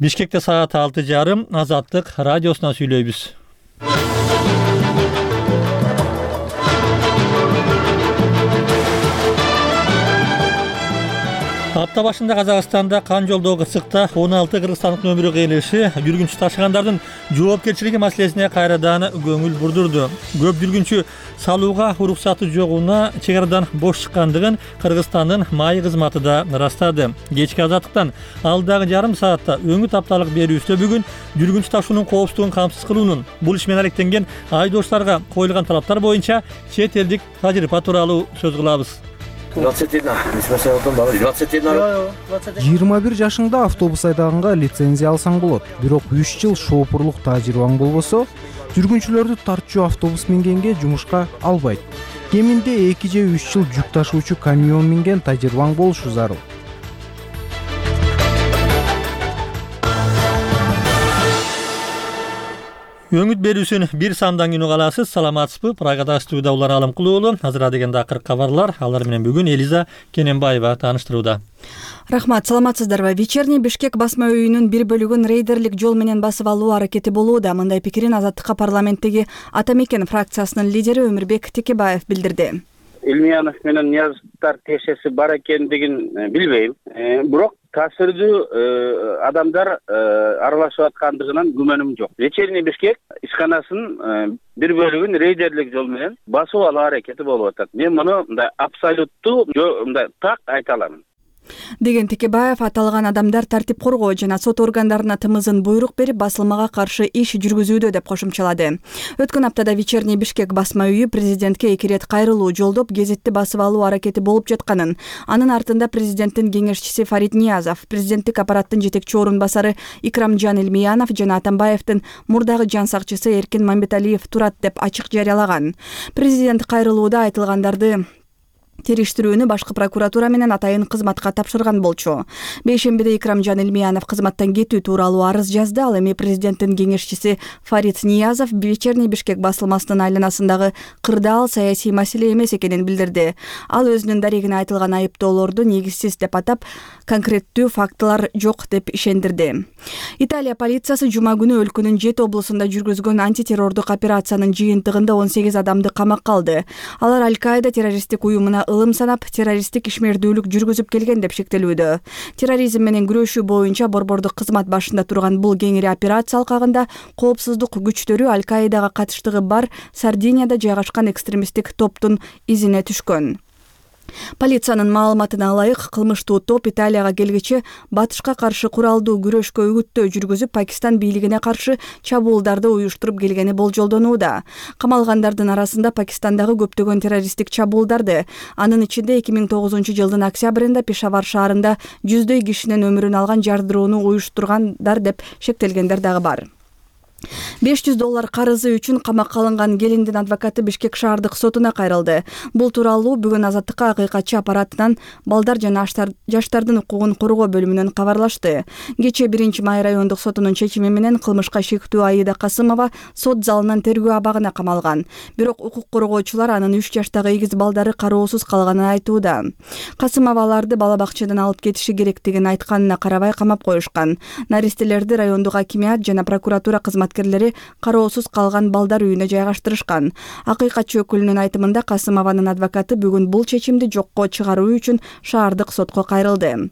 Бишкекте саат 6:30 Азаттык радиосунан сүйлөйбүз. Апта башында Казакстанда кан жолдогу ысыкта 16 кыргызстандыктын өмүрү кыйылышы жүргүнчү ташыгандардын жоопкерчилиги маселесине кайрадан көңүл бурдурду. Көп жүргүнчү салууга уруксаты жогуна чек арадан бош чыккандыгын Кыргызстандын маай кызматы да ырастады. Кечки Азаттыктан алдагы жарым саатта өңү тапталык берүүбүздө бүгүн жүргүнчү ташуунун коопсуздугун камсыз кылуунун, бул иш менен алектенген айдоочуларга коюлган талаптар боюнча чет элдик тажрыйба тууралуу сөз кылабыз. 21 жашыңда автобус айдаганга лицензия алсаң болот. Бирок 3 жыл шоопурлук тажрыйбаң болбосо, жүргүнчүлөрдү тартчу автобус мингенге жумушка албайт. Кеминде 2 же 3 жыл жүк ташуучу камион минген тажрыйбаң болушу зарыл. Өңүт берүүсүн бир самдан күнү каласыз. Саламатсызбы? Прагада студияда Улан Алымкулуулу. Азыр дегенде акыркы кабарлар. Алар менен бүгүн Элиза Кененбаева тааныштырууда. Рахмат, саламатсыздарбы? Вечерний Бишкек басма үйүнүн бир бөлүгүн рейдерлик жол менен басып алуу аракети болууда. Мындай пикирин Азаттыкка парламенттеги Ата Мекен фракциясынын лидери Өмүрбек Текебаев билдирди. Илмиянов менен Ниязовдор тиешеси бар экендигин билбейм. Бирок таасирдүү адамдар аралашып аткандыгынан күмөнүм жок. Вечерний Бишкек ишканасынын бир бөлүгүн рейдерлик жол менен басып алуу аракети болуп атат. Мен муну мындай абсолюттуу мындай так айта алам. Деген Текебаев аталган адамдар тартип коргоо жана сот органдарына тымызын буйрук берип басылмага каршы иш жүргүзүүдө деп кошумчалады. Өткөн аптада Вечерний Бишкек басма үйү президентке 2 рет кайрылуу жолдоп гезитти басып алуу аракети болуп жатканын, анын артында президенттин кеңешчиси Фарид Ниязов, президенттик аппараттын жетекчи орун басары Икрамжан Илмиянов жана Атамбаевдин мурдагы жан сакчысы Эркин Мамбеталиев турат деп ачык жарыялаган. Президент кайрылууда айтылгандарды териштирүүнү башкы прокуратура менен атайын кызматка тапшырган болчу. Бейшембиде Икрамжан Илмиянов кызматтан кетүү тууралуу арыз жазды. Ал эми президенттин кеңешчиси Фарид Ниязов Вечерний Бишкек басылмасынын айланасындагы кырдаал саясий маселе эмес экенин билдирди. Ал өзүнүн дарегине айтылган айыптоолорду негизсиз деп атап, конкреттүү фактылар жок деп ишендирди. Италия полициясы жума күнү өлкөнүн 7 облусунда жүргүзгөн антитеррордук операциянын жыйынтыгында 18 адамды камакка алды. Алар Аль-Каида террористтик уюмуна ылым санап, террористтик ишмердүүлүк жүргүзүп келген деп шектелүүдө. Терроризм менен күрөшүү боюнча борбордук кызмат башында турган бул кеңири операция алкагында коопсуздук күчтөрү Аль-Каидага катыштыгы бар Сардинияда жайгашкан экстремисттик топтун изине түшкөн. Полициянын маалыматына ылайык, кылмыштуу топ Италияга келгиче батышка каршы куралдуу күрөшкө үгүттөө жүргүзүп, Пакистан бийлигине каршы чабуулдарды уюштуруп келгени болжолдонууда. Камалгандардын арасында Пакистандагы көптөгөн террористтик чабуулдарды, анын ичинде 2009 жылдын октябрында Пешавар шаарында жүздөй кишинин өмүрүн алган жардырууну уюштургандар деп шектелгендер дагы бар. $500 карызы үчүн камакка алынган келиндин адвокаты Бишкек шаардык сотуна кайрылды. Бул тууралуу бүгүн Азаттыкка акыйкатчы аппаратынан балдар жана жаштардын укугун коргоо бөлүмүнөн кабарлашты. Кечээ 1 май райондук сотунун чечими менен кылмышка шектүү Аида Касымова сот залынан тергөө абагына камалган. Бирок укук коргоочулар анын 3 жаштагы эгиз балдары кароосуз калганын айтууда. Касымова аларды бала бакчадан алып кетиши керектигин айтканына карабай камап коюшкан. Наристелерди райондук акимият жана прокуратура кызматкерлери кароосуз калган балдар үйүнө жайгаштырышкан. Акыйкатчы өкүлүнүн айтымында Касымованын адвокаты бүгүн бул чечимди жокко чыгаруу үчүн шаардык сотко кайрылды.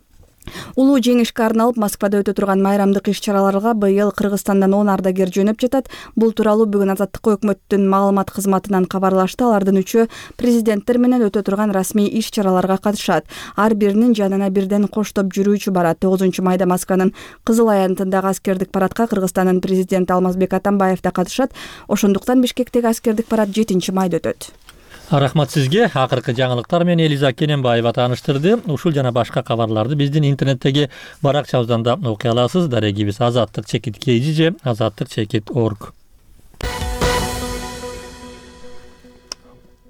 Улуу жеңишке арналып Москвада өтө турган майрамдык иш-чараларга быйыл Кыргызстандан 10 ардагер жөнөп жатат. Бул тууралуу бүгүн Азаттыкка өкмөттүн маалымат кызматынан кабарлашты. Алардын 3-өө президенттер менен өтө турган расмий иш-чараларга катышат. Ар биринин жанына бирден коштоп жүрүүчү барат. 9 майда Москванын Кызыл аянтындагы аскердик парадка Кыргызстандын президенти Алмазбек Атамбаев да катышат. Ошондуктан Бишкектеги аскердик парад 7 майда өтөт. Рахмат сизге. Акыркы жаңылыктар менен Элиза Кененбаева тааныштырды. Ушул жана башка кабарларды биздин интернеттеги баракчабыздан да окуй аласыз. Дарегибиз azattik.kz же azattik.org.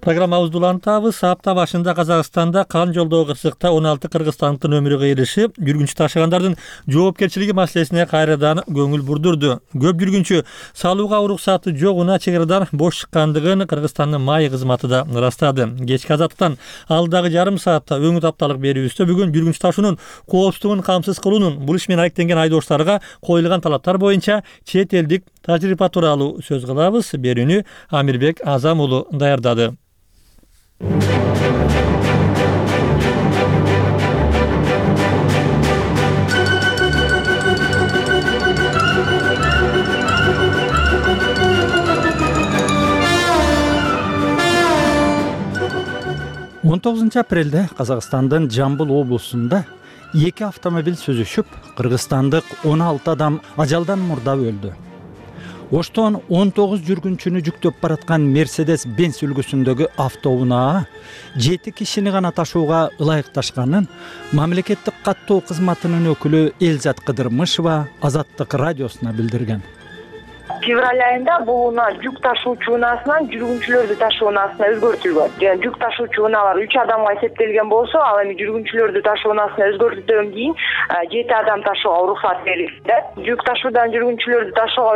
Программабызды улантабыз. Апта башында Казакстанда кан жолдогу кырсыкта 16 кыргызстандыктын өмүрү кыйылышы жүргүнчү ташыгандардын жоопкерчилиги маселесине кайрадан көңүл бурдурду. Көп жүргүнчү салууга уруксаты жогуна чек арадан бош чыккандыгын Кыргызстандын МАИ кызматы да ырастады. Кечки азаттыктан алдагы жарым саатта өңүт апталык берүүбүздө бүгүн жүргүнчү ташуунун коопсуздугун камсыз кылуунун, бул иш менен алектенген айдоочуларга коюлган талаптар боюнча чет элдик тажрыйба тууралуу сөз кылабыз. Берүүнү Амирбек Азам уулу даярдады. 19 апрелде Казакстандын Жамбыл облусунда 2 автомобиль сүзүшүп, кыргызстандык 16 адам ажалдан мурда өлдү. Оштон 19 жүргүнчүнү жүктөп бараткан Mercedes-Benz үлгүсүндөгү автоунаа 7 кишини гана ташууга ылайыкташканын мамлекеттик каттоо кызматынын өкүлү Элзат Кыдырмышева Азаттык радиосуна билдирген. Февраль айында бул унаа жүк ташуучу унаасынан жүргүнчүлөрдү ташуу унаасына өзгөртүлгөн. Жүк ташуучу унаалар 3 адамга эсептелген болсо, ал эми жүргүнчүлөрдү ташуу унаасына өзгөртүүдөн кийин 7 адам ташууга уруксат берилди. Жүк ташуудан жүргүнчүлөрдү ташууга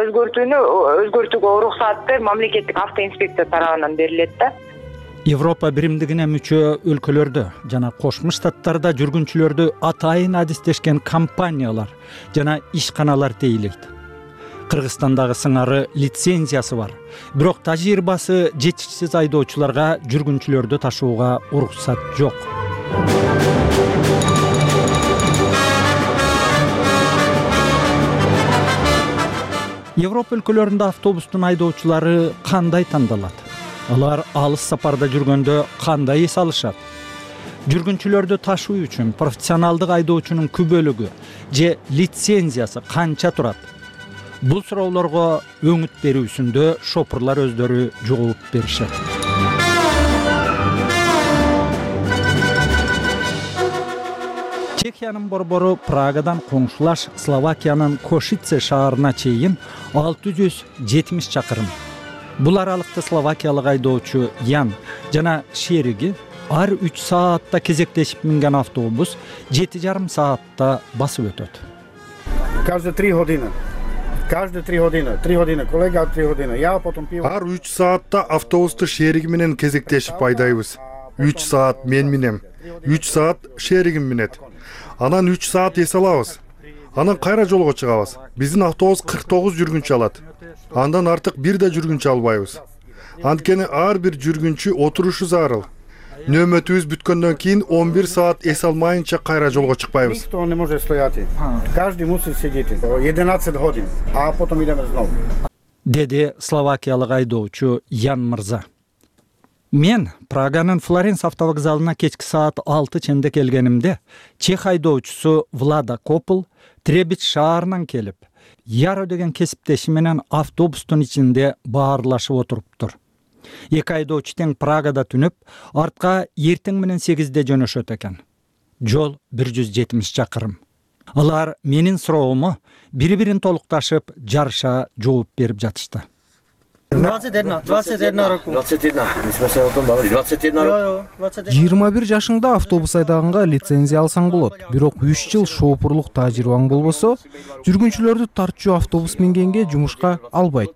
өзгөртүүгө уруксаты мамлекеттик автоинспекция тарабынан берилет да. Европа биримдигине мүчө өлкөлөрдө жана Кошмо Штаттарда жүргүнчүлөрдү атайын адистешкен компаниялар жана ишканалар тейлейт. Кыргызстандагы сыңары лицензиясы бар. Бирок тажрыйбасы жетишсиз айдоочуларга жүргүнчүлөрдү ташууга уруксат жок. Европа өлкөлөрүндө автобустун айдоочулары кандай тандалат? Алар алыс сапарда жүргөндө кандай эс алышат? Жүргүнчүлөрдү ташуу үчүн профессионалдык айдоочунун күбөлүгү же лицензиясы канча турат? Бул суроолорго өңүт берүүсүндө шопурлар өздөрү жооп беришет. Чехиянын борбору Прагадан коңшулаш Словакиянын Кошице шаарына чейин 670 чакырым. Бул аралыкта словакиялык айдоочу Ян жана шериги ар 3 саатта кезектешип минген автобус 7,5 саатта басып өтөт. Каждые 3 години. Каждые 3 години. 3 години колега, 3 години. Я потом пиво. Ар 3 саатта автобусту шериги менен кезектешип айдайбыз. 3 саат мен минем, 3 саат шеригим минет. Анан 3 саат эс алабыз. Анан кайра жолго чыгабыз. Биздин автобус 49 жүргүнчү алат. Андан артык бир да жүргүнчү албайбыз. Анткени ар бир жүргүнчү отурушу зарыл. Нөмөтүбүз бүткөндөн кийин 11 саат эс алмайынча кайра жолго чыкпайбыз. Никто не может стояти. Каждый мусит сидеть. 11 годин, а потом идем снова. Деди словакиялык айдоочу Ян мырза. Мен Праганын Флоренс автовокзалына кечки саат 6 ченде келгенимде чех айдоочусу Влада Копл Требич шаарынан келип, Яро деген кесиптеши менен автобустун ичинде баарлашып отуруптур. Эки айдоочу тең Прагада түнөп, артка эртең менен 8-де жөнөшөт экен. Жол 170 чакырым. Алар менин суроому бири-бирин толукташып, жарыша жооп берип жатышты. 21 roku. 21. My jsme se o tom bavili. 21 roku. 21 жашыңда автобус айдаганга лицензия алсаң болот. Бирок 3 жыл шоопурлук тажрыйбаң болбосо, жүргүнчүлөрдү тартчу автобус мингенге жумушка албайт.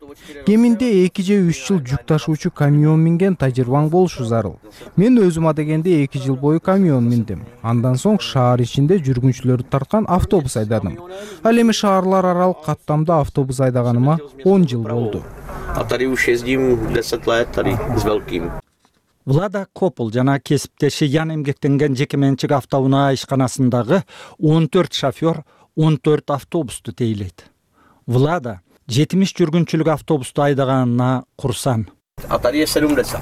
Кеминде 2 же 3 жыл жүк ташуучу камион минген тажрыйбаң болушу зарыл. Мен өзүм адегенде 2 жыл бою камион миндим. Андан соң шаар ичинде жүргүнчүлөрдү тарткан автобус айдадым. Ал эми шаарлар аралык каттамда автобус айдаганыма 10 жыл болду. A tady už jezdím 10 let, tady s velkým. Влада Копл жана кесиптеши Ян эмгектенген жекеменчик автоунаа ишканасындагы 14 шофер 14 автобусту тейлейт. Влада 70 жүргүнчүлүк автобусту айдаганына курсан. A tady je 70.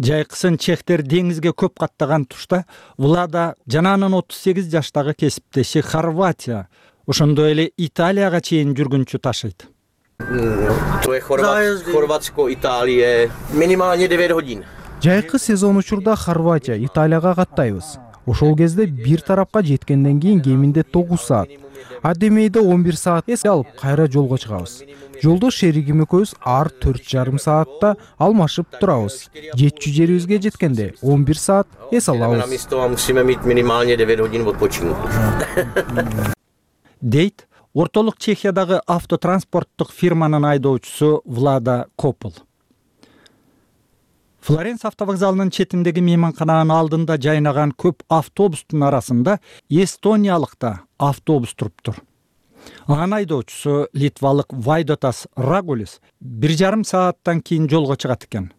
Жайкысын чехтер деңизге көп каттаган тушта Влада жана анын 38 жаштагы кесиптеши Хорватия, ошондой эле Италияга чейин жүргүнчү ташыйт. To je Chorvatsko, Itálie, minimálně 9 hodin. Жайкы сезон учурда Хорватия, Италияга каттайбыз. Ошол кезде бир тарапка жеткенден кийин кеминде 9 саат, адемейде 11 саат эс алып кайра жолго чыгабыз. Жолдош шеригим экөөбүз ар 4,5 саатта алмашып турабыз. Жетчү жерибизге жеткенде 11 саат эс алабыз. Дейт ортолук Чехиядагы автотранспорттук фирманын айдоочусу Влада Копл. Флоренс автовокзалынын четиндеги мейманкананын алдында жайнаган көп автобустун арасында эстониялык да автобус туруптур. Анын айдоочусу литвалык Вайдотас Рагулис 1,5 сааттан кийин жолго чыгат экен.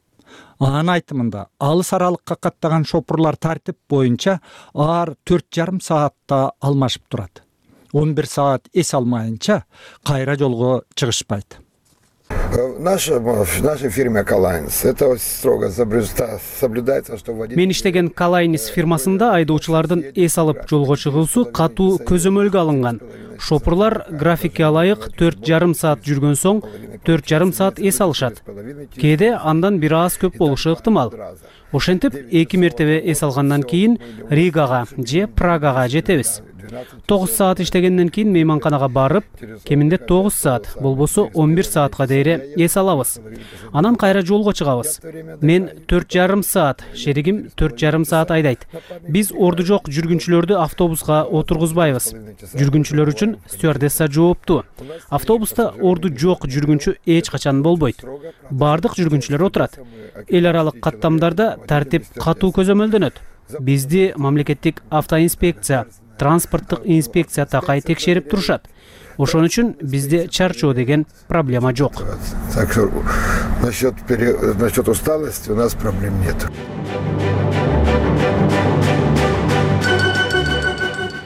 Анын айтымында алыс аралыкка каттаган шопурлар тартип боюнча ар 4,5 саатта алмашып турат. 11 саат эс алмайынча кайра жолго чыгышпайт. В нашей фирме Калайнс это строго соблюдается, что водитель. Мен иштеген Калайнс фирмасында айдоочулардын эс алып жолго чыгуусу катуу көзөмөлгө алынган. Шопурлар графикке ылайык 4,5 саат жүргөн соң 4,5 саат эс алышат. Кээде андан бир аз көп болушу ыктымал. Ошентип 2 мертебе эс алгандан кийин Ригага же Прагага жетебиз. 9 саат иштегенден кийин мейманканага барып, кеминде 9 саат, болбосо 11 саатка дейре эс алабыз. Анан кайра жолго чыгабыз. Мен 4,5 саат, шеригим 4,5 саат айдайт. Биз орду жок жүргүнчүлөрдү автобуска отургузбайбыз. Жүргүнчүлөр үчүн стюардесса жооптуу. Автобуста орду жок жүргүнчү эч качан болбойт. Бардык жүргүнчүлөр отурат. Эл аралык каттамдарда тартип катуу көзөмөлдөнөт. Бизди мамлекеттик автоинспекция, транспорттук инспекция такай текшерип турушат. Ошон үчүн бизде чарчоо деген проблема жок. Так что насчет усталости у нас проблем нет.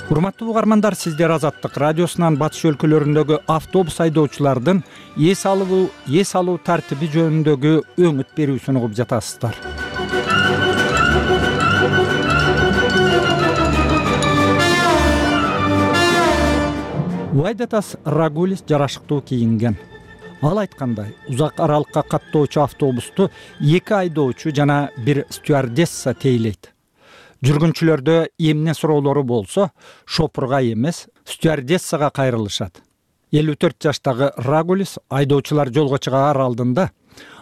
Урматтуу угармандар, сиздер Азаттык радиосунан батыш өлкөлөрүндөгү автобус айдоочулардын эс алуу тартиби жөнүндөгү өңүт берүүсүн угуп жатасыздар. Вайдотас Рагулис жарашыктуу кийинген. Ал айткандай, узак аралыкка каттоочу автобусту 2 айдоочу жана 1 стюардесса тейлейт. Жүргүнчүлөрдө эмне суроолору болсо, шопурга эмес, стюардессага кайрылышат. 54 жаштагы Рагулис айдоочулар жолго чыгаар алдында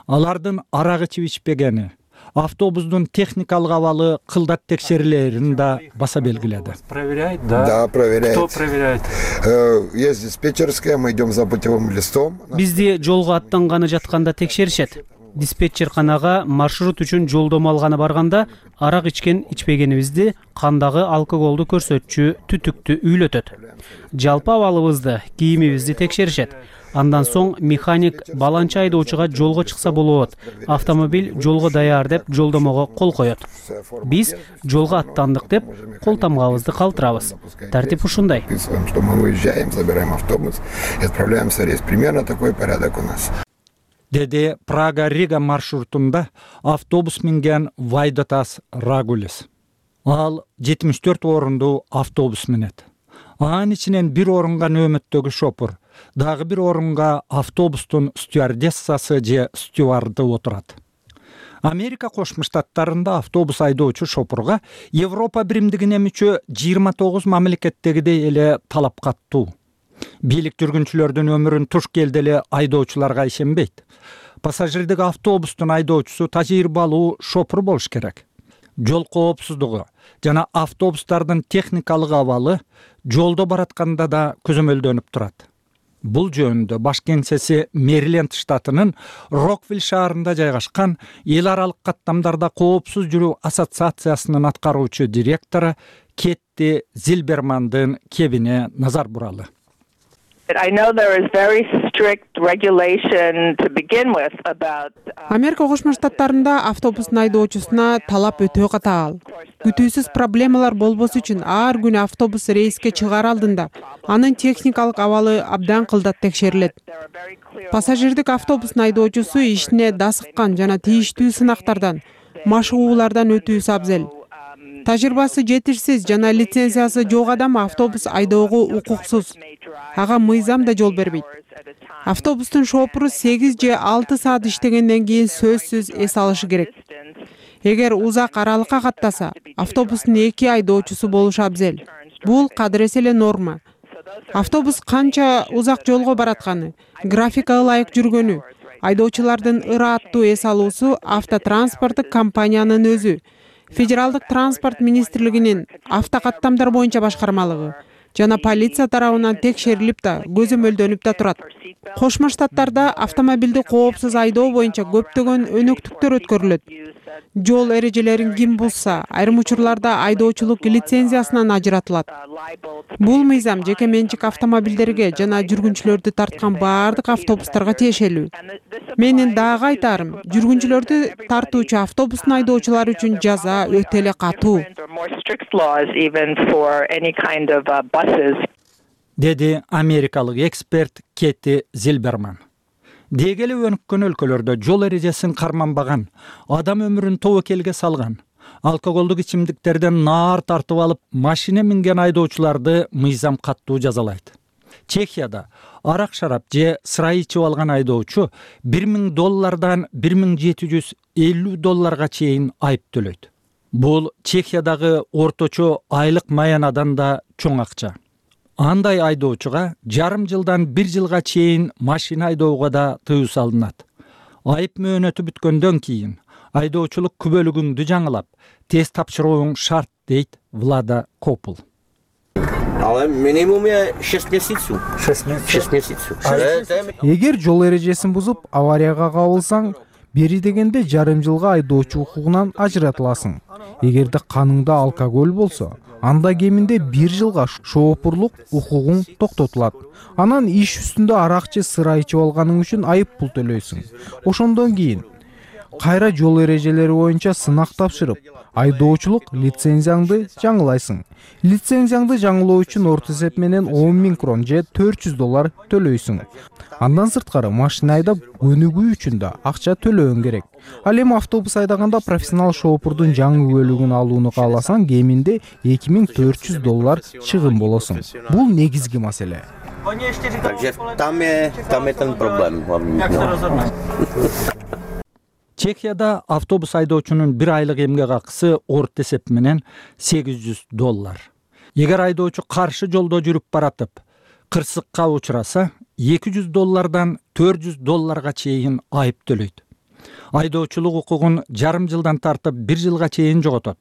алардын арак ичип ичпегени, автобустун техникалык абалы кылдат текшерилерин да баса белгиледи. Проверяет, да? Да, проверяет. Кто проверяет? Есть диспетчерская, мы идем за путевым листом. Бизди жолго аттанганы жатканда текшеришет. Диспетчерканага маршрут үчүн жолдомо алганы барганда арак ичкен ичпегенибизди, кандагы алкоголду көрсөтчү түтүктү үйлөтөт. Жалпы абалыбызды, кийимибизди текшеришет. Андан соң механик баланча айдоочуга жолго чыкса болот, автомобиль жолго даяр деп жолдомого кол коет. Биз жолго аттандык деп кол тамгабызды калтырабыз. Тартип ушундай. Что мы выезжаем, забираем автобус и отправляемся в рейс. Примерно такой порядок у нас. Деди Прага-Рига маршрутунда автобус минген Вайдотас Рагулис. Ал 74 орундуу автобус минет. Анын ичинен бир орунга нөөмөттөгү шопур, дагы бир орунга автобустун стюардессасы же стюарды отурат. Америка Кошмо Штаттарында автобус айдоочу шопурга Европа биримдигине мүчө 29 мамлекеттегидей эле талап каттуу. Бийлик жүргүнчүлөрдүн өмүрүн туш келди эле айдоочуларга ишенбейт. Пассажирдик автобустун айдоочусу тажрыйбалуу шопур болуш керек. Жол коопсуздугу жана автобустардын техникалык абалы жолдо баратканда да көзөмөлдөнүп турат. Бул жөнүндө баш кеңсеси Мэриленд штатынын Роквилл шаарында жайгашкан эл аралык каттамдарда коопсуз жүрүү ассоциациясынын аткаруучу директору Кетти Зилбермандын кебине назар буралы. I know there is very strict regulation to begin with about Америка Кошмо Штаттарында автобустун айдоочусуна талап өтө катаал. Күтүүсүз проблемалар болбосу үчүн ар күнү автобус рейске чыгаар алдында анын техникалык абалы абдан кылдат текшерилет. Пассажирдик автобустун айдоочусу ишине дасыккан жана тийиштүү сынактардан, машыгуулардан өтүүсү абзел. Тажрыйбасы жетишсиз жана лицензиясы жок адам автобус айдоого укуксуз. Ага мыйзам да жол бербейт. Автобустун шопуру 8 же 6 саат иштегенден кийин сөзсүз эс алышы керек. Эгер узак аралыкка каттаса, автобустун 2 айдоочусу болушу абзел. Бул кадыресе эле норма. Автобус канча узак жолго баратканы, графикага ылайык жүргөнү, айдоочулардын ырааттуу эс алуусу автотранспорттук компаниянын өзү, Федералдык транспорт министрлигинин автокаттамдар боюнча башкармалыгы жана полиция тарабынан текшерилип да, көзөмөлдөнүп да турат. Кошмо Штаттарда автомобилди коопсуз айдоо боюнча көптөгөн өнөктүктөр өткөрүлөт. Жол эрежелерин ким бузса, айрым учурларда айдоочулук лицензиясынан ажыратылат. Бул мыйзам жеке менчик автомобилдерге жана жүргүнчүлөрдү тарткан баардык автобустарга тиешелүү. Менин дагы айтарым, жүргүнчүлөрдү тартуучу автобустун айдоочулары үчүн жаза өтө эле катуу. Деди америкалык эксперт Кетти Зилберман. Дегеле өнүккөн өлкөлөрдө жол эрежесин карманбаган, адам өмүрүн тобокелге салган, алкоголдук ичимдиктерден наар тартып алып, машина минген айдоочуларды мыйзам каттуу жазалайт. Чехияда арак-шарап же сырай ичип алган айдоочу $1000 $1750 чейин айып төлөйт. Бул Чехиядагы орточо айлык маянадан да чоң акча. Андай айдоочуга жарым жылдан 1 жылга чейин машина айдоого да тыюу салынат. Айып мөөнөтү бүткөндөн кийин айдоочулук күбөлүгүңдү жаңылап, тест тапшырууң шарт, дейт Влада Копул. Але минимум 6 месяцев. 6 месяцев. Эгер жол эрежесин бузуп, аварияга кабылсаң, бери дегенде жарым жылга айдоочу укугунан ажыратыласың. Эгерде каныңда алкоголь болсо, анда кеминде 1 жылга шоопурлук укугуң токтотулат. Анан иш үстүндө арак же сыра ичип алганың үчүн айып пул төлөйсүң. Ошондон кийин кайра жол эрежелери боюнча сынак тапшырып, айдоочулук лицензияңды жаңылайсың. Лицензияңды жаңылоо үчүн орто эсеп менен 10.000 крон же $400 төлөйсүң. Андан сырткары машина айдап өнүгүү үчүн да акча төлөөң керек. Ал эми автобус айдаганда профессионал шоопурдун жаңы бөлүгүн алууну кааласаң, кеминде $2400 чыгым болосуң. Бул негизги маселе. Takže tam je ten problém hlavní. Чехияда автобус айдоочунун 1 айлык эмгек акысы орто эсеп менен $800. Эгер айдоочу каршы жолдо жүрүп баратып, кырсыкка учураса, $200 $400 чейин айып төлөйт. Айдоочулук укугун жарым жылдан тартып 1 жылга чейин жоготот.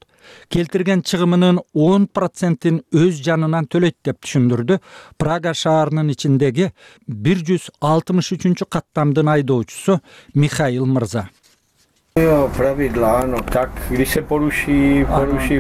Келтирген чыгымынын 10%-ин өз жанынан төлөйт деп түшүндүрдү Прага шаарынын ичиндеги 163-каттамдын айдоочусу Михаил Мырза. Правила, но так, když se poruší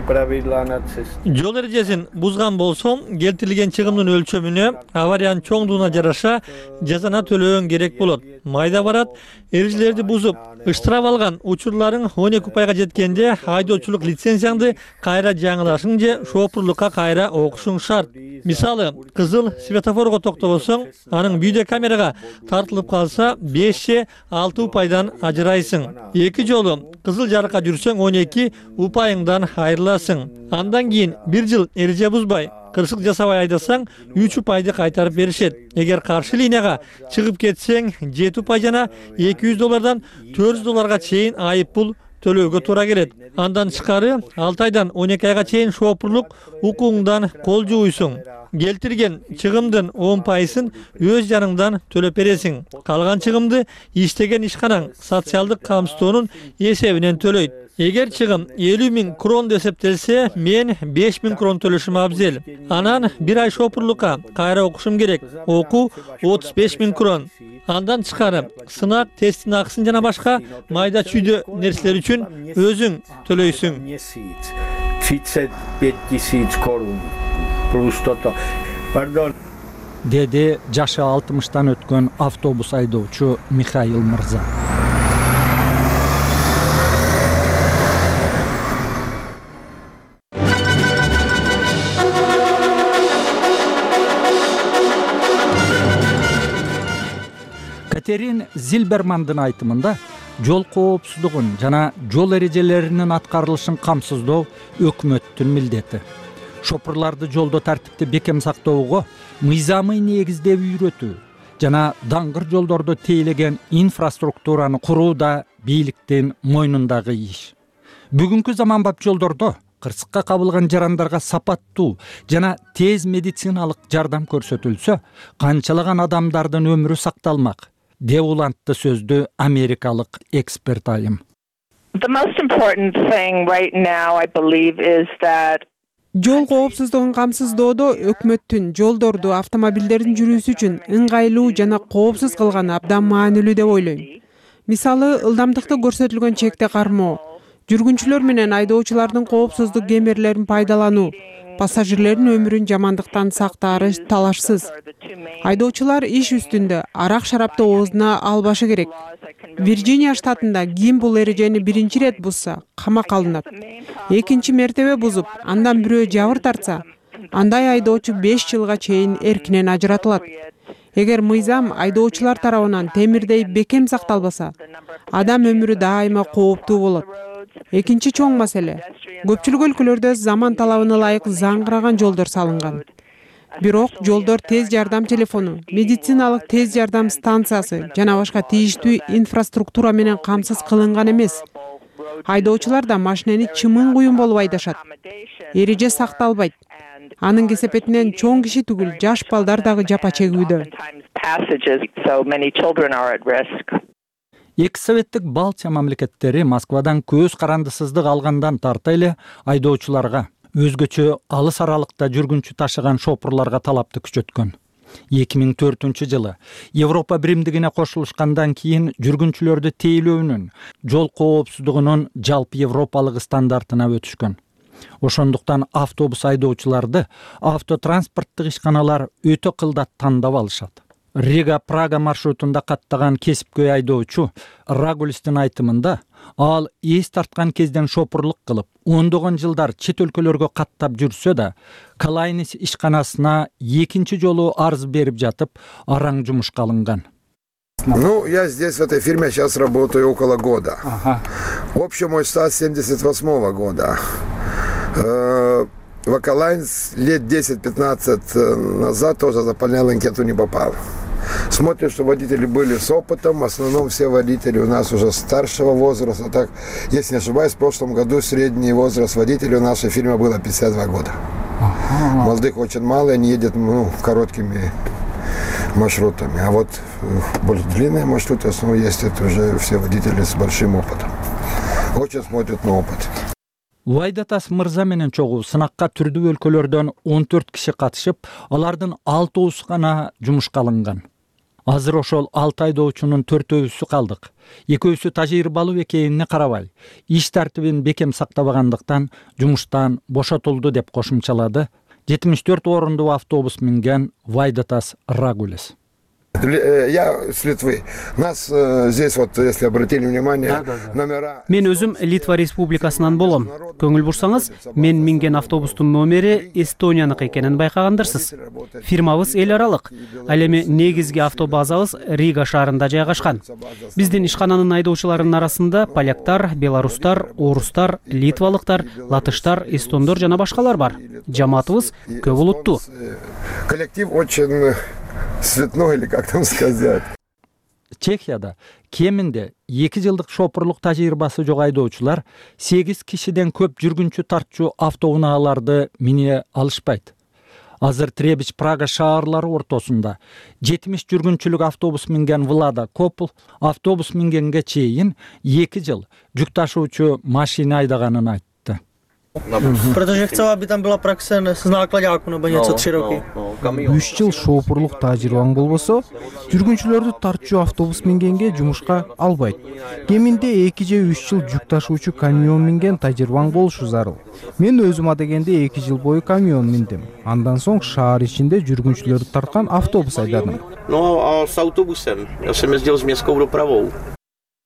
правила на цесте. Жол эрежесин бузган болсоң, келтирилген чыгымдын өлчөмүнө, авариянын чоңдугуна жараша жазана төлөөң керек болот. Майда барат, эрежелерди бузуп, ыштырап алган учурларың 12 пайга жеткенде айдоочулук лицензияңды кайра жаңылашың же шоопурлукка кайра окушуң шарт. Мисалы, кызыл светофорго токтобосоң, анын видео камерага тартылып калса 5 6 упайдан ажырайсың. 2 жолу кызыл жарыкка жүрсөң 12 упайыңдан айрыласың. Андан кийин 1 жыл эреже бузбай, кырсык жасабай айдасаң 3 упайды кайтарып беришет. Эгер каршы линияга чыгып кетсең 7 упай жана $200 $400 чейин айып пул төлөөгө туура келет. Андан тышкары 6 айдан 12 айга чейин шоопурлук укугуңдан кол жууйсуң. Келтирген чыгымдын 10%-ын өз жаныңдан төлөп бересиң. Калган чыгымды иштеген ишканаң социалдык камсыздоонун эсебинен төлөйт. Эгер чыгым 50.000 крон эсептелсе, мен 5.000 крон төлөшүм абзел. Анан 1 ай шоопурлукка кайра окушум керек. Окуу 35.000 крон. Андан тышкары сынак, тесттин акысын жана башка майда чүйдө нерселер үчүн өзүң төлөйсүң. 35.000 korun. Деди жашы 60-тан өткөн автобус айдоочу Михаил Мырза. Катерин Зилбермандын айтымында жол коопсуздугун жана жол эрежелеринин аткарылышын камсыздоо өкмөттүн милдети. Шопурларды жолдо тартипти бекем сактоого мыйзамый негизде үйрөтүү жана даңгыр жолдордо тейлеген инфраструктураны куруу да бийликтин мойнундагы иш. Бүгүнкү заманбап жолдордо кырсыкка кабылган жарандарга сапаттуу жана тез медициналык жардам көрсөтүлсө, канчалаган адамдардын өмүрү сакталмак, деп улантты сөздү америкалык эксперт айым. The most important thing right now, I believe, is that жол коопсуздугун камсыздоодо өкмөттүн жолдорду автомобилдердин жүрүүсү үчүн ыңгайлуу жана коопсуз кылганы абдан маанилүү деп ойлойм. Мисалы, ылдамдыкты көрсөтүлгөн чекте кармоо, жүргүнчүлөр менен айдоочулардын коопсуздук кемерлерин пайдалануу, пассажирлердин өмүрүн жамандыктан сактаары талашсыз. Айдоочулар иш үстүндө арак шарапты оозуна албашы керек. Вирджиния штатында ким бул эрежени биринчи ирет бузса, камакка алынат. Экинчи мертебе бузуп, андан бирөө жабыр тартса, андай айдоочу 5 жылга чейин эркинен ажыратылат. Эгер мыйзам айдоочулар тарабынан темирдей бекем сакталбаса, адам өмүрү дайыма кооптуу болот. Экинчи чоң маселе. Көпчүлүк өлкөлөрдө заман талабына ылайык заңгыраган жолдор салынган. Бирок жолдор тез жардам телефону, медициналык тез жардам станциясы жана башка тийиштүү инфраструктура менен камсыз кылынган эмес. Айдоочулар да машинени чымын куюн болуп айдашат. Эреже сакталбайт. Анын кесепетинен чоң киши түгүл, жаш балдар дагы жапа чегүүдө. Эки советтик Балтия мамлекеттери Москвадан көз карандысыздык алгандан тарта эле айдоочуларга, өзгөчө алыс аралыкта жүргүнчү ташыган шопурларга талапты күчөткөн. 2004 жылы Европа биримдигине кошулушкандан кийин жүргүнчүлөрдү тейлөөнүн, жол коопсуздугунун жалпы европалык стандартына өтүшкөн. Ошондуктан автобус айдоочуларды автотранспорттук ишканалар өтө кылдат тандап алышат. Рига-Прага маршрутунда каттаган кесипкөй айдоочу Рагулистин айтымында, ал эс тарткан кезден шопурлук кылып, ондогон жылдар чет өлкөлөргө каттап жүрсө да, Калайнис ишканасына экинчи жолу арыз берип жатып, араң жумушка алынган. Ну, я здесь в этой фирме сейчас работаю около года. Общий мой стаж 78 года. В Акалайнс лет 10-15 назад тоже заполнял анкету, не попал. Смотрим, что водители были с опытом, в основном все водители у нас уже старшего возраста. Так, если не ошибаюсь, в прошлом году средний возраст водителей у нашей фирмы было 52 года. Молодых очень мало, они едут короткими маршрутами. А вот более длинные маршруты, в основном, есть это уже все водители с большим опытом. Очень смотрят на опыт. Вайдатас мырза менен чогуу сынакка түрдүү өлкөлөрдөн 14 киши катышып, алардын 6 гана жумушка алынган. Азыр ошол 6 айдоочунун 4-өсү калдык. 2-өсү тажрыйбалуу экенине карабай, иш тартибин бекем сактабагандыктан жумуштан бошотулду деп кошумчалады 74 орундуу автобус минген Вайдатас Рагулес. Я с Литвы. Нас здесь вот, если обратили внимание, номера... Мен өзүм Литва Республикасынан болом. Көңүл бурсаңыз, мен минген автобустун номери Эстонияныкы экенин байкагандырсыз. Фирмабыз эл аралык. Ал эми негизги автобазабыз Рига шаарында жайгашкан. Биздин ишкананын айдоочуларынын арасында поляктар, белорустар, орустар, литвалыктар, латыштар, эстондор жана башкалар бар. Жамаатыбыз көп улуттуу. Коллектив очень цветной, или как там сказать. Чехияда кеминде 2 жылдык шопурлук тажрыйбасы жок айдоочулар 8 кишиден көп жүргүнчү тартчу автоунааларды мине алышпайт. Азыр Требич Прага шаарлары ортосунда 70 жүргүнчүлүк автобус минген Влада Копл автобус мингенге чейин 2 жыл жүк ташуучу машина айдаганын айтты. Protože chcela, aby tam byla praxe s náklaďáků nebo něco 3 roky. 3 жыл шопурлук тажрыйбаң болбосо, жүргүнчүлөрдү тартчу автобус мингенге жумушка албайт. Кеминде 2 же 3 жыл жүк ташуучу камион минген тажрыйбаң болушу зарыл. Мен өзүм адегенде 2 жыл бою камион миндим. Андан соң шаар ичинде жүргүнчүлөрдү тарткан автобус айдадым. No a s autobusem. Já jsem jezdil s městskou dopravou.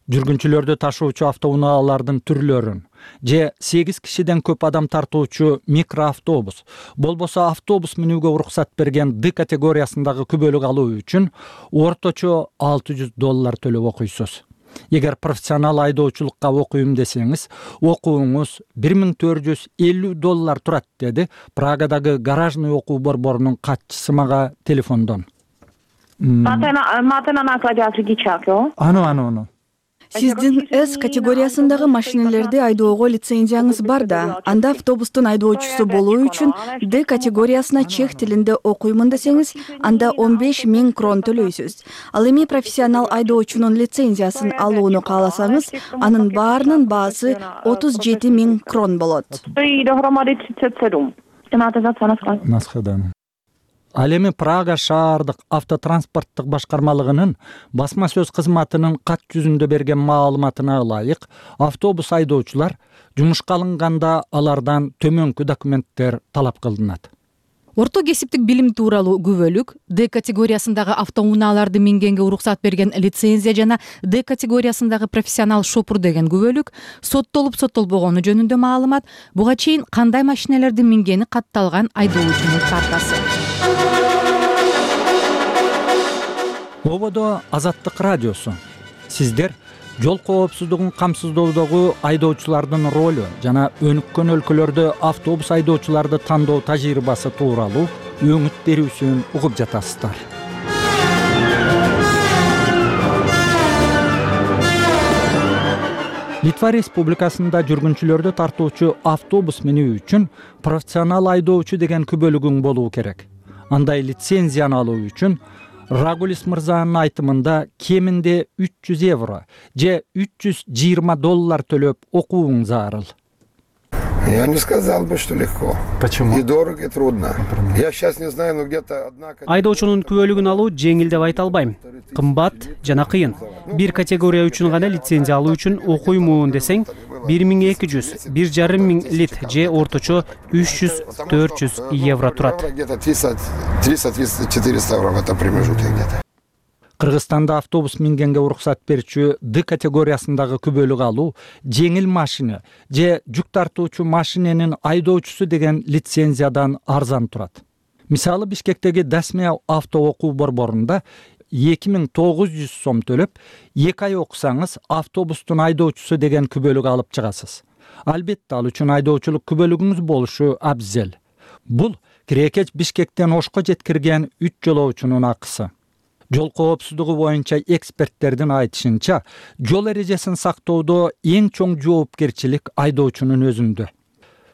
Жүргүнчүлөрдү ташуучу автоунаалардын түрлөрүн же 8 кишиден көп адам тартуучу микроавтобус, болбосо автобус минүүгө уруксат берген D категориясындагы күбөлүк алуу үчүн орточо $600 төлөп окуйсуз. Эгер профессионал айдоочулукка окуйм десеңиз, окууңуз $1450 турат, деди Прагадагы гаражный окуу борборунун катчысы мага телефондон. Máte na nákladák řidičák, jo? Ano. Сиздин С категориясындагы машинелерди айдоого лицензияңыз бар да. Анда автобустун айдоочусу болуу үчүн Д категориясына чех тилинде окуймун десеңиз, анда 15 000 крон төлөйсүз. Ал эми профессионал айдоочунун лицензиясын алууну кааласаңыз, анын баарынын баасы 37 000 крон болот. Ал эми Прага шаардык автотранспорттук башкармалыгынын басма сөз кызматынын кат жүзүндө берген маалыматына ылайык, автобус айдоочулар жумушка алынганда алардан төмөнкү документтер талап кылынат. Орто кесиптик билим тууралуу күбөлүк, Д категориясындагы автоунааларды мингенге уруксат берген лицензия жана Д категориясындагы профессионал шопур деген күбөлүк, соттолуп соттолбогону жөнүндө маалымат, буга чейин кандай машинелерди мингени катталган айдоочунун картасы. Ободо Азаттык радиосу. Сиздер жол коопсуздугун камсыздоодогу айдоочулардын ролу жана өнүккөн өлкөлөрдө автобус айдоочуларды тандоо тажрыйбасы тууралуу өңүт берүүсүн угуп жатасыздар. Литва Республикасында жүргүнчүлөрдү тартуучу автобус минүү үчүн профессионал айдоочу деген күбөлүгүң болуу керек. Андай лицензияны алуу үчүн Рагулис мырзанын айтымында кеминде 300 евро же $320 төлөп окууң зарыл. Я не сказал бы, что легко. Почему? И дорого, и трудно. Я сейчас не знаю, но где-то одна... Айдоочунун күбөлүгүн алуу жеңил деп айта албайм. Кымбат жана кыйын. Бир категория үчүн гана лицензия алуу үчүн окуймун десең, 1200, 1,5 лит же орточо 300-400 евро турат. Где-то 300-400 евро в этом промежутке где-то. Кыргызстанда автобус мингенге уруксат берүүчү Д категориясындагы күбөлүк алуу жеңил машина же жүк тартуучу машиненин айдоочусу деген лицензиядан арзан турат. Мисалы Бишкектеги Дасмия авто окуу борборунда 2900 сом төлөп, 2 ай окусаңыз автобустун айдоочусу деген күбөлүк алып чыгасыз. Албетте ал үчүн айдоочулук күбөлүгүңүз болушу абзел. Бул кирекеч Бишкектен Ошко жеткирген 3 жолоочунун акысы. Жол коопсуздугу боюнча эксперттердин айтышынча, жол эрежесин сактоодо эң чоң жоопкерчилик айдоочунун өзүндө.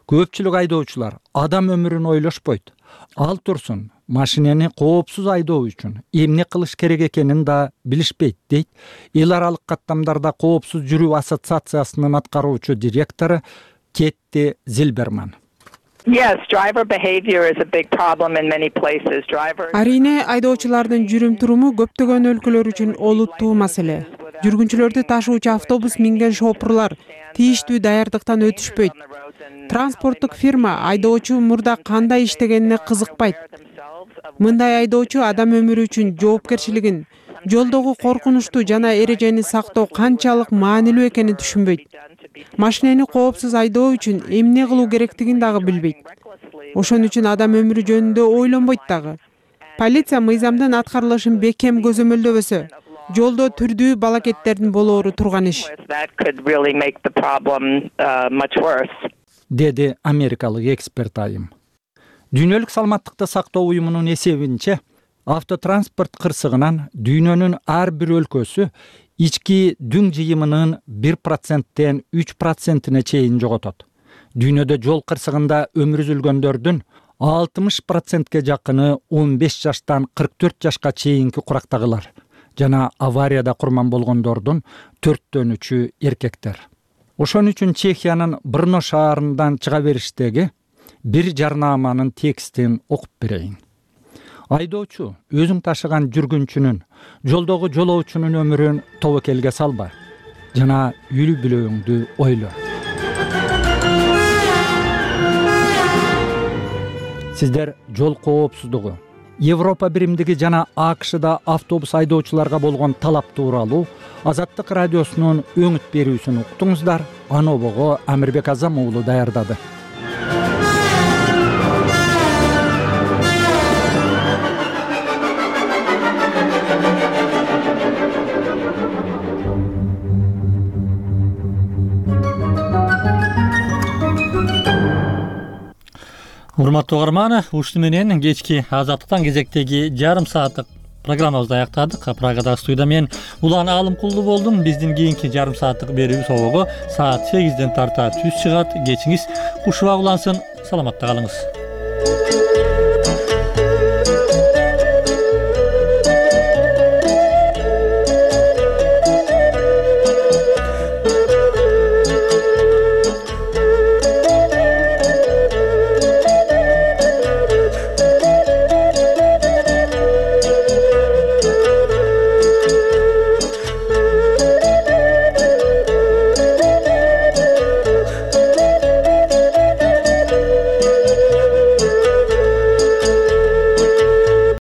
Көпчүлүк айдоочулар адам өмүрүн ойлошпойт. Ал турсун, машинени коопсуз айдоо үчүн эмне кылыш керек экенин да билишпейт, дейт эл аралык каттамдарда коопсуз жүрүү ассоциациясынын аткаруучу директору Кетти Зилберман. Yes, driver behavior is a big problem in many places. Арине айдоочулардын жүрүм-туруму көптөгөн өлкөлөр үчүн олуттуу маселе. Жүргүнчүлөрдү ташуучу автобус минген шопурлар тийиштүү даярдыктан өтүшпөйт. Транспорттук фирма айдоочу мурда кандай иштегенине кызыкпайт. Мындай айдоочу адам өмүрү үчүн жоопкерчилигин, жолдогу коркунучтуу жана эрежени сактоо канчалык маанилүү экенин түшүнбөйт. Машинени коопсуз айдоо үчүн эмне кылуу керектигин дагы билбейт. Ошон үчүн адам өмүрү жөнүндө ойлонбойт дагы. Полиция мыйзамдын аткарылышын бекем көзөмөлдөбөсө, жолдо түрдүү балакеттердин болоору турган иш. Деди америкалык эксперт айым. Дүйнөлүк саламаттыкты сактоо уюмунун эсебинче, автотранспорт кырсыгынан дүйнөнүн ар бир өлкөсү ички дүң жыйымынын 1%тен 3%-не чейин жоготот. Дүйнөдө жол кырсыгында өмүр үзүлгөндөрдүн 60%ке жакыны 15 жаштан 44 жашка чейинки курактагылар жана аварияда курман болгондордун 4/3 эркектер. Ошон үчүн Чехиянын Брно шаарынан чыга бериштеги бир жарнаманын текстин окуп берейин. Айдоочу өзүң ташыган жүргүнчүнүн, жолдогу жолоочунун өмүрүн тобокелге салба жана үй бүлөңдү ойло. Сиздер жол коопсуздугу, Европа биримдиги жана АКШда автобус айдоочуларга болгон талап тууралуу Азаттык радиосунун өңүт берүүсүн уктуңуздар. Анобого Амирбек Азам уулу даярдады. Урматтуу угарман, ушуну менен кечки Азаттыктан кезектеги жарым сааттык программабызды аяктадык. Прагадагы студияда мен Улан Алымкулду болдум. Биздин кийинки жарым сааттык берүүбүз обого саат 8ден тарта түз чыгат. Кечиңиз кушубак улансын. Саламатта калыңыз.